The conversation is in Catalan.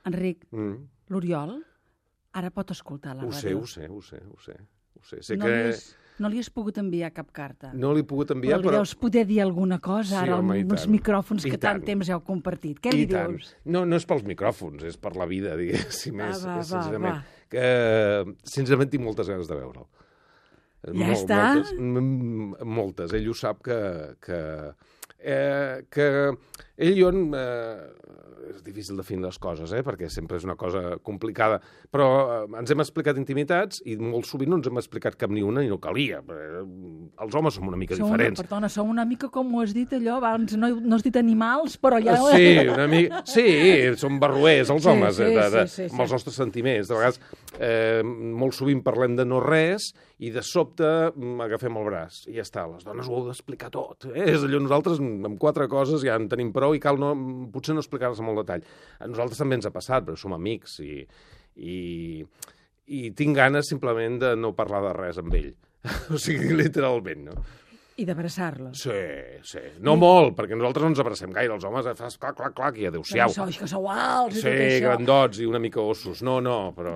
Enric, l'Oriol ara pot escoltar la ràdio. Ho sé. No li has pogut enviar cap carta. No li he pogut enviar, però... li deus poder dir alguna cosa ara amb uns micròfons que tant temps heu compartit. Què li dius? No és pels micròfons, és per la vida, diguéssim. Sincerament. Sincerament tinc moltes ganes de veure'l. Ja està? Moltes. Ell ho sap que ell i jo... És difícil definir les coses, perquè sempre és una cosa complicada, però ens hem explicat intimitats i molt sovint no ens hem explicat cap ni una i no calia. Els homes som una mica diferents. Perdona, som una mica, com ho has dit allò, abans no has dit animals, però ja... Sí, una mica... Sí, som barroers, els homes, amb els nostres sentiments. De vegades, molt sovint parlem de no res i de sobte agafem el braç i ja està. Les dones ho heu d'explicar tot. És allò, nosaltres amb 4 coses ja en tenim prou i cal potser no explicar-les amb molt detall. A nosaltres també ens ha passat, però som amics i tinc ganes simplement de no parlar de res amb ell. O sigui, literalment, no? I d'abraçar-lo. Sí. No molt, perquè nosaltres no ens abracem gaire. Els homes fas clac, i adéu-siau. Que sou alts i tot això. això. Sí, grandots i una mica ossos. No, però...